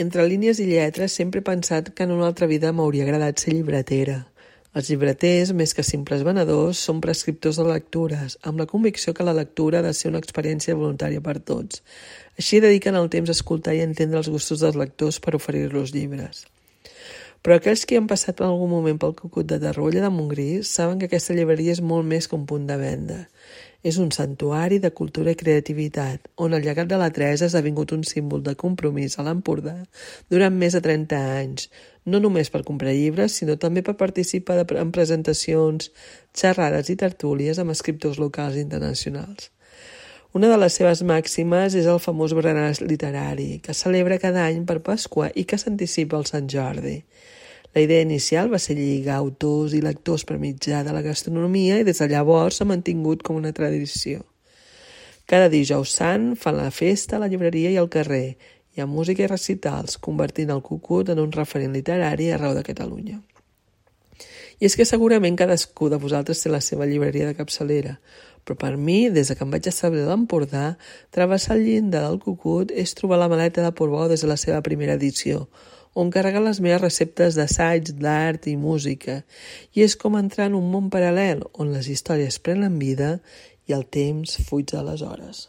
Entre línies i lletres sempre he pensat que en una altra vida m'hauria agradat ser llibretera. Els llibreters, més que simples venedors, són prescriptors de lectures, amb la convicció que la lectura ha de ser una experiència voluntària per tots. Així dediquen el temps a escoltar i a entendre els gustos dels lectors per oferir-los llibres. Però aquells que han passat per algun moment pel Cucut de Torroella de Montgrí saben que aquesta llibreria és molt més que un punt de venda. És un santuari de cultura i creativitat, on el llegat de la Teresa ha esdevingut un símbol de compromís a l'Empordà durant més de 30 anys, no només per comprar llibres, sinó també per participar en presentacions, xerrades i tertúlies amb escriptors locals i internacionals. Una de les seves màximes és el famós berenar literari, que celebra cada any per Pasqua i que s'anticipa al Sant Jordi. La idea inicial va ser lligar autors i lectors per mitjà de la gastronomia i des de llavors s'ha mantingut com una tradició. Cada dijous sant fan la festa a la llibreria i al carrer, hi ha música i recitals, convertint el Cucut en un referent literari arreu de Catalunya. I és que segurament cadascú de vosaltres té la seva llibreria de capçalera, però per mi, des que em vaig establir a l'Empordà, travessar el llindar del Cucut és trobar la maleta de Portbou des de la seva primera edició, on carregar les meves receptes d'assaig, d'art i música, i és com entrar en un món paral·lel on les històries prenen vida i el temps fuig de les hores.